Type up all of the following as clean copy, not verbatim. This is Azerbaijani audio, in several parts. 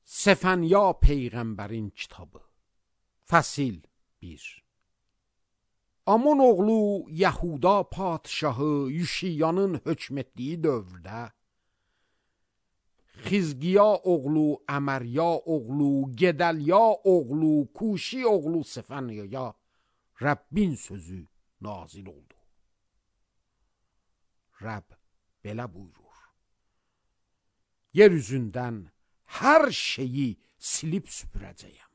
Səfənya Peyğəmbərin kitabı. Fəsil 1. Amon oğlu Yahuda padişahı Yüşiyanın hökm etdiyi dövrdə Xizqiya oğlu Əmərya oğlu Gedəlya oğlu Kuşi oğlu Səfənyaya Rəbbin sözü nazil oldu. Rəbb belə buyurur: yer üzündən hər şeyi silib süpürəcəyəm.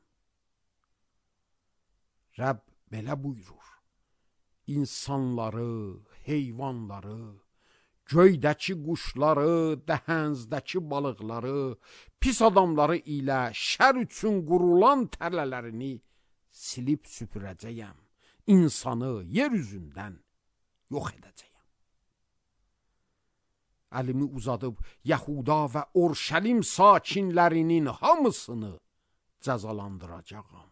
Rəbb belə buyurur: İnsanları, heyvanları, göydəki quşları, dəhənzdəki balıqları, pis adamları ilə şər üçün qurulan tələlərini silib süpürəcəyəm. İnsanı yer üzündən yox edəcəyəm. Əlimi uzadıb Yahuda və Urşəlim sakinlərinin hamısını cəzalandıracağam.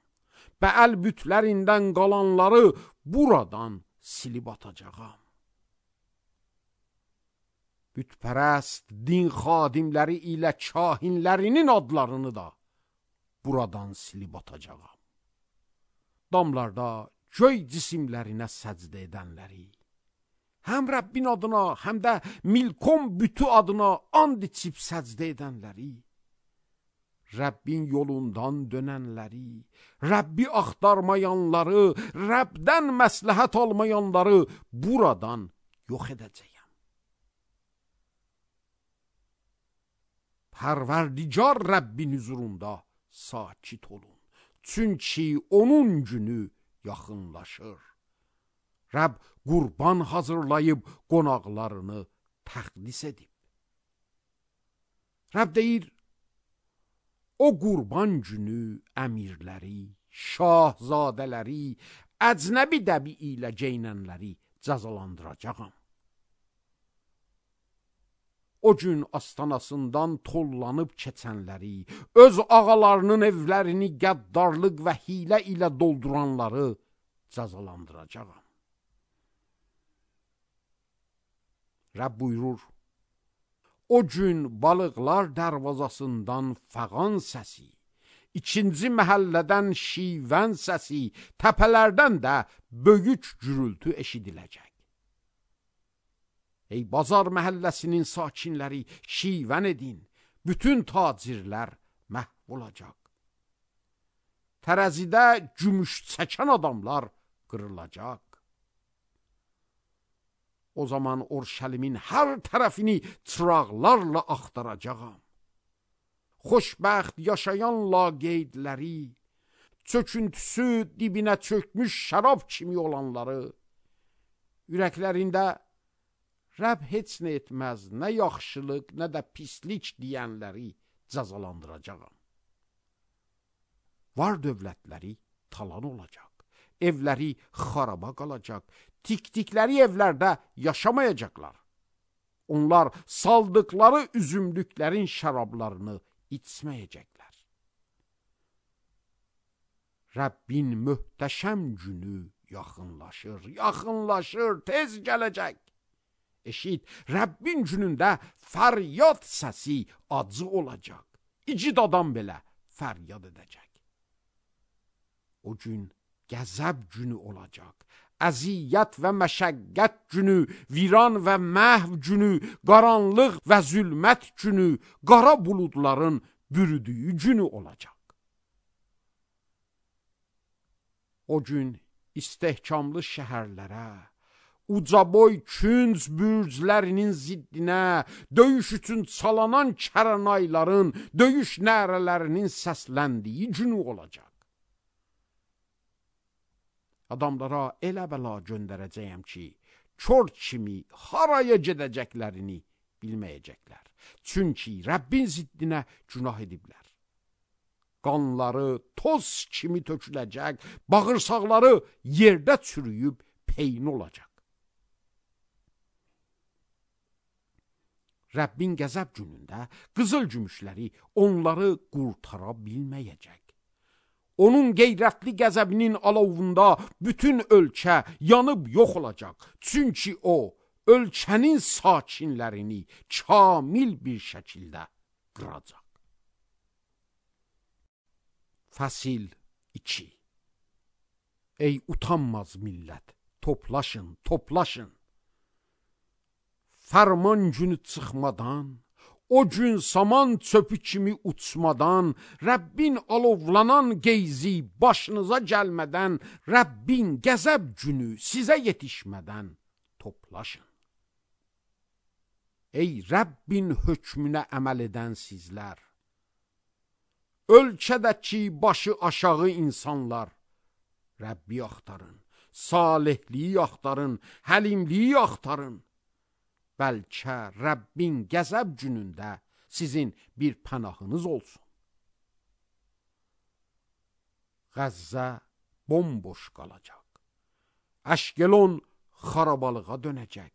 Bəəl bütlərindən qalanları buradan silib atacağam. Bütpərəst din xadimləri ilə kahinlərinin adlarını da buradan silib atacağam. Damlarda göy cisimlərinə səcdə edənləri, həm Rəbbin adına, həm də Milkom bütü adına and içib səcdə edənləri, Rəbbin yolundan dönənləri, Rəbbi axtarmayanları, Rəbdən məsləhət almayanları buradan yox edəcəyəm. Pərverdigar Rəbbin huzurunda sakit olun. Çünki onun günü yaxınlaşır. Rəbb qurban hazırlayıb qonaqlarını təqdis edib. Rəbb deyir, o qurban günü əmirləri, şahzadələri, əcnəbi dəbi ilə geyinənləri cəzalandıracağam. O gün astanasından tollanıb keçənləri, öz ağalarının evlərini qəddarlıq və hilə ilə dolduranları cəzalandıracağam. Rəbb buyurur, o gün balıqlar dərvazasından fəğan səsi, ikinci məhəllədən şivən səsi, təpələrdən də böyük gürültü eşidiləcək. Ey bazar məhəlləsinin sakinləri, şivən edin, bütün tacirlər məhv olacaq. Tərəzidə gümüş çəkən adamlar qırılacaq. O zaman Urşəlimin hər tərəfini çıraqlarla axtaracağam. Xoşbəxt yaşayan laqeydləri, çöküntüsü dibinə çökmüş şərab kimi olanları, ürəklərində Rəbb heç nə etməz, nə yaxşılıq, nə də pislik deyənləri cəzalandıracağam. Var dövlətləri talan olacaq, evləri xaraba qalacaq, tikdikləri evlərdə yaşamayacaqlar. Onlar saldıqları üzümlüklərin şərablarını içməyəcəklər. Rəbbin möhtəşəm günü yaxınlaşır, yaxınlaşır, tez gələcək. Eşit, Rəbbin günündə fəryad səsi acı olacaq. İcid adam belə fəryad edəcək. O gün qəzəb günü olacaq. Əziyyət və məşəqqət günü, viran və məhv günü, qaranlıq və zülmət günü, qara buludların bürüdüyü günü olacaq. O gün istehkamlı şəhərlərə, ucaboy künc bürclərinin ziddinə, döyüş üçün çalanan kəranayların, döyüş nərələrinin səsləndiyi günü olacaq. Adamlara elə bəla göndərəcəyəm ki, kör kimi haraya gedəcəklərini bilməyəcəklər. Çünki Rəbbin ziddinə günah ediblər. Qanları toz kimi töküləcək, bağırsaqları yerdə çürüyüb peyn olacaq. Rəbbin qəzəb günündə qızıl gümüşləri onları qurtara bilməyəcək. Onun qeyrətli qəzəbinin alovunda bütün ölkə yanıb yox olacaq. Çünki o, ölkənin sakinlərini kamil bir şəkildə qıracaq. Fəsil 2. Ey utanmaz millət, toplaşın, toplaşın. Fərman günü çıxmadan, o gün saman çöpü kimi uçmadan, Rəbbin alovlanan qeyzi başınıza gəlmədən, Rəbbin qəzəb günü sizə yetişmədən toplaşın. Ey Rəbbin hökmünə əməl edən sizlər, ölkədəki başı aşağı insanlar, Rəbbi axtarın, salihliyi axtarın, həlimliyi axtarın. Bəlkə Rəbbin qəzəb günündə sizin bir pənahınız olsun. Qəzzə bomboş qalacaq. Əşkelon xarabalığa dönəcək.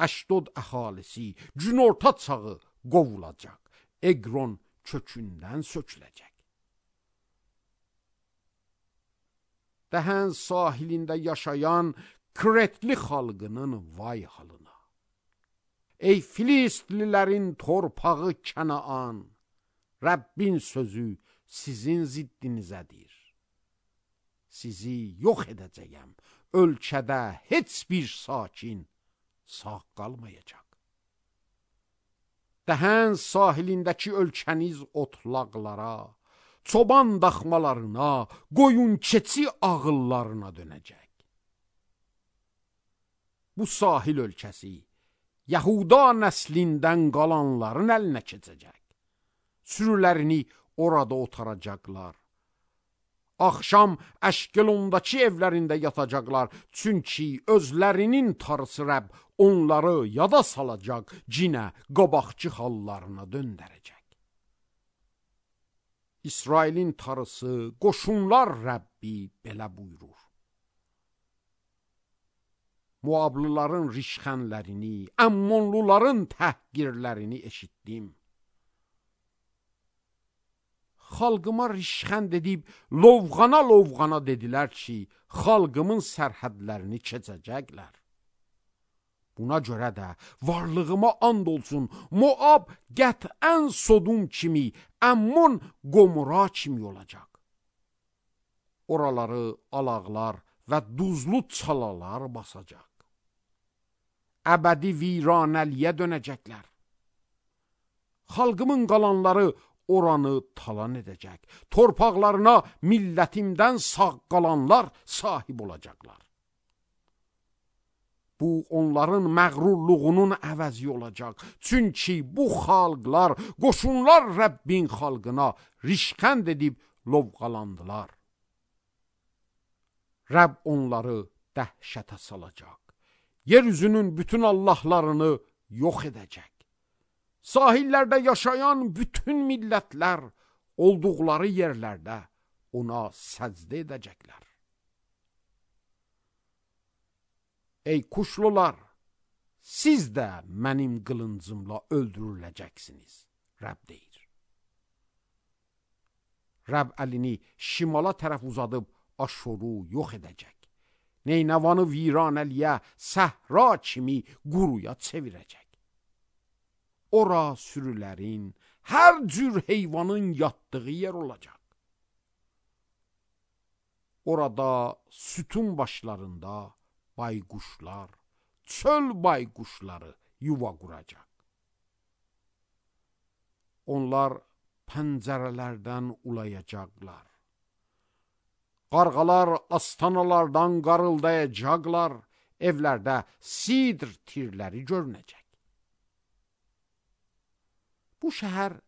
Əşdod əhalisi günorta çağı qovulacaq. Eqron kökündən söküləcək. Dəhən sahilində yaşayan Kretli xalqının vay halına. Ey Filistlilərin torpağı Kənaan, Rəbbin sözü sizin ziddinizədir. Sizi yox edəcəyəm, ölkədə heç bir sakin sağ qalmayacaq. Dəhən sahilindəki ölkəniz otlaqlara, çoban daxmalarına, qoyun keçi ağıllarına dönəcək. Bu sahil ölkəsi Yahuda nəslindən qalanların əlinə keçəcək. Sürülərini orada otaracaqlar. Axşam Əşkelondakı evlərində yatacaqlar. Çünki özlərinin tarısı Rəbb onları yada salacaq, cinə, qabaqçı hallarına döndərəcək. İsrailin tarısı, qoşunlar Rəbbi belə buyurur. Muablıların rişxənlərini, Əmmonluların təhqirlərini eşitdim. Xalqıma rişxənd edib, lovğana dedilər ki, xalqımın sərhədlərini keçəcəklər. Buna görə də varlığıma and olsun, Moab qətən Sodum kimi, Əmmon Qomora kimi olacaq. Oraları alaqlar və duzlu çalalar basacaq. Əbədi viranəliyə dönəcəklər. Xalqımın qalanları oranı talan edəcək. Torpaqlarına millətimdən sağ qalanlar sahib olacaqlar. Bu onların məğrurluğunun əvəzi olacaq. Çünki bu xalqlar, qoşunlar Rəbbin xalqına rişxənd edib lovğalandılar. Rəbb onları dəhşətə salacaq. Yeryüzünün bütün allahlarını yox edəcək. Sahillərdə yaşayan bütün millətlər olduqları yerlərdə ona səcdə edəcəklər. Ey kuşlular, siz də mənim qılıncımla öldürüləcəksiniz, Rəbb deyir. Rəbb əlini şimala tərəf uzadıb Aşuru yox edəcək. Neynəvanı viranəliyə, səhra kimi quruya çevirəcək. Ora sürülərin, hər cür heyvanın yatdığı yer olacaq. Orada sütun başlarında bayquşlar, çöl bayquşları yuva quracaq. Onlar pəncərələrdən ulayacaqlar. Qarğalar astanalardan qarıldayacaqlar, evlərdə sidr tirləri görünəcək. Bu şəhər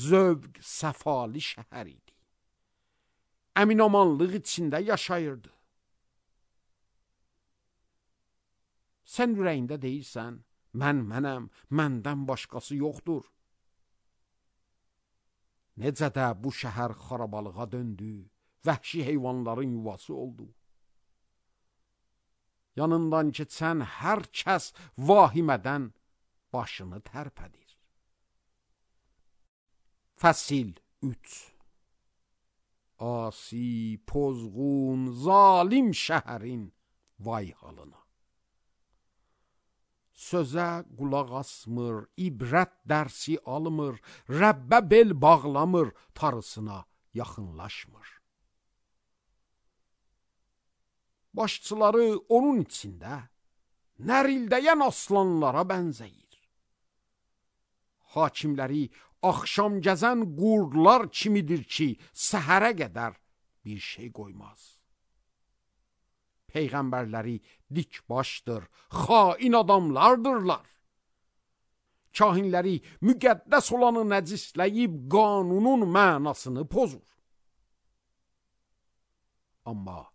zövq, səfali şəhər idi. Əminamanlıq içində yaşayırdı. Sən ürəyində deyirsən, mənəm, məndən başqası yoxdur. Necə də bu şəhər xarabalığa döndü, vəhşi heyvanların yuvası oldu. Yanından keçən hər kəs vahimədən başını tərpədir. Fəsil 3. Asi, pozğun, zalim şəhərin vay halına. Sözə qulaq asmır, ibrət dərsi almır, Rəbbə bel bağlamır, tarısına yaxınlaşmır. Başçıları onun içində nərildəyən aslanlara bənzəyir. Hakimləri axşam gəzən qurdlar kimidir ki, səhərə qədər bir şey qoymaz. Peyğəmbərləri dik başdır, xain adamlardırlar. Kahinləri müqəddəs olanı nəcisləyib qanunun mənasını pozur. Amma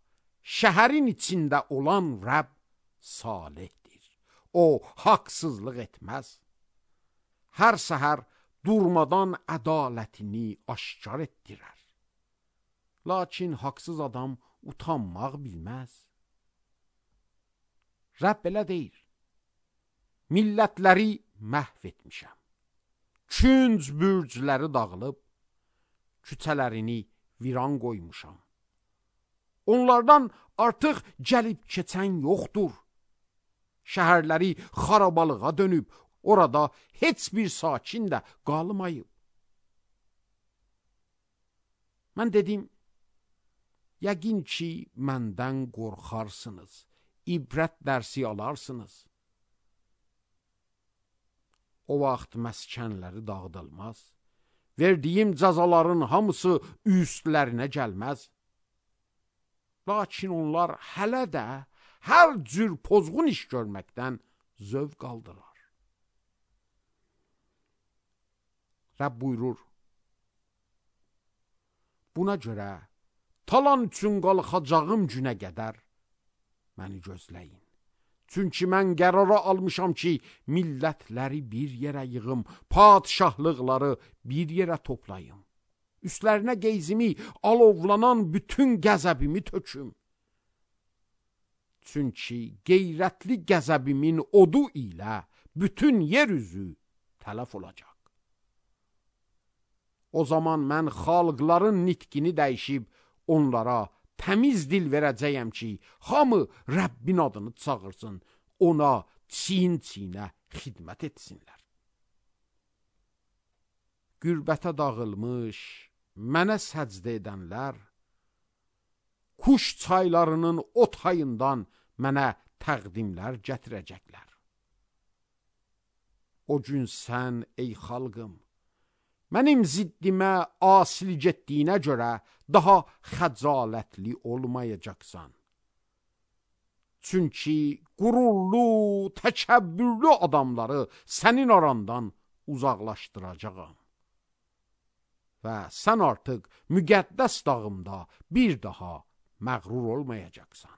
şəhərin içində olan Rəbb salihdir. O, haqsızlıq etməz. Hər səhər durmadan ədalətini aşkar etdirər. Lakin haqsız adam utanmaq bilməz. Rəbb belə deyir: millətləri məhv etmişəm. Künc bürcləri dağılıb, küçələrini viran qoymuşam. Onlardan artıq gəlib keçən yoxdur. Şəhərləri xarabalığa dönüb, orada heç bir sakin də qalmayıb. Mən dedim, yəqin ki, məndən qorxarsınız, ibrət dərsi alarsınız. O vaxt məskənləri dağıdılmaz, verdiyim cəzaların hamısı üstlərinə gəlməz. Lakin onlar hələ də hər cür pozğun iş görməkdən zövq aldılar. Rəbb buyurur: buna görə talan üçün qalxacağım günə qədər məni gözləyin. Çünki mən qərara almışam ki, millətləri bir yerə yığım, padişahlıqları bir yerə toplayım. Üstlərinə qeyzimi, alovlanan bütün qəzəbimi töküm. Çünki qeyrətli qəzəbimin odu ilə bütün yer üzü tələf olacaq. O zaman mən xalqların nitqini dəyişib onlara təmiz dil verəcəyəm ki, hamı Rəbbin adını çağırsın, ona çiyin-çiyinə xidmət etsinlər. Qürbətə dağılmış, mənə səcdə edənlər, kuş çaylarının o tayından mənə təqdimlər gətirəcəklər. O gün sən, ey xalqım, mənim ziddimə asil getdiyinə görə daha xəcalətli olmayacaqsan. Çünki qürurlu, təkəbbürlü adamları sənin arandan uzaqlaşdıracağam. Və sən artıq müqəddəs dağımda bir daha məğrur olmayacaqsan.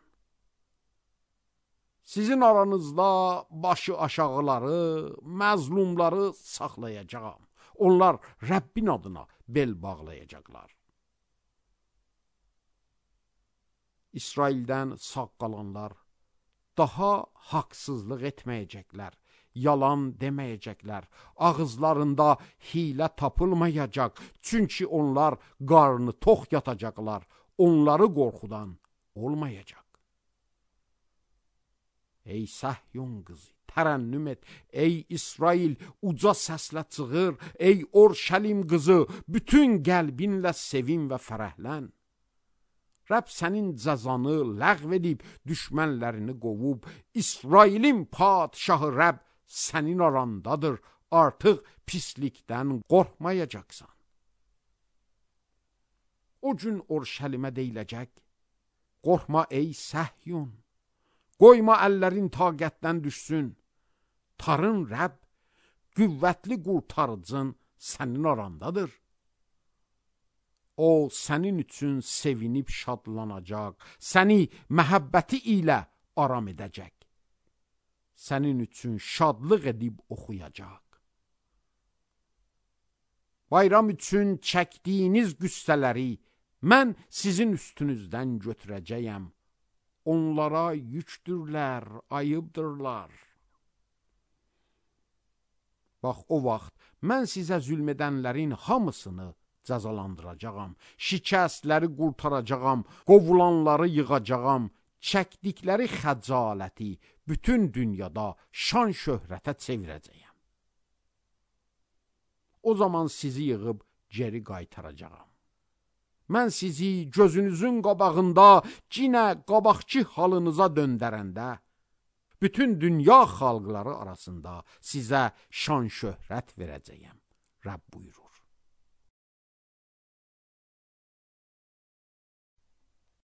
Sizin aranızda başı aşağıları, məzlumları saxlayacağam. Onlar Rəbbin adına bel bağlayacaqlar. İsraildən sağ qalanlar daha haqsızlıq etməyəcəklər, yalan deməyəcəklər, ağızlarında hilə tapılmayacaq, çünki onlar qarnı tox yatacaqlar, onları qorxudan olmayacaq. Ey Səhyon qızı, tərənnüm et, ey İsrail, uca səslə çığır, ey Orşəlim qızı, bütün qəlbinlə sevin və fərəhlən. Rəbb sənin cəzanı ləğv edib, düşmənlərini qovub, İsrailin padişahı Rəbb sənin arandadır, artıq pislikdən qorxmayacaqsan. O gün Orşəlimə deyiləcək: qorxma ey Səhyon, qoyma əllərin taqətdən düşsün, tarın Rəbb, qüvvətli qurtarıcın sənin arandadır. O sənin üçün sevinib şadlanacaq, səni məhəbbəti ilə aram edəcək. Sənin üçün şadlıq edib oxuyacaq. Bayram üçün çəkdiyiniz qüssələri mən sizin üstünüzdən götürəcəyəm. Onlara yükdürlər, ayıbdırlar. Bax, o vaxt mən sizə zülm edənlərin hamısını cəzalandıracağam, şikəstləri qurtaracağam, qovulanları yığacağam, çəkdikləri xəcaləti bütün dünyada şan şöhrətə çevirəcəyəm. O zaman sizi yığıb geri qaytaracağam. mən sizi gözünüzün qabağında cinə qabaqçı halınıza döndərəndə, bütün dünya xalqları arasında sizə şan şöhrət verəcəyəm. Rəbb buyurur.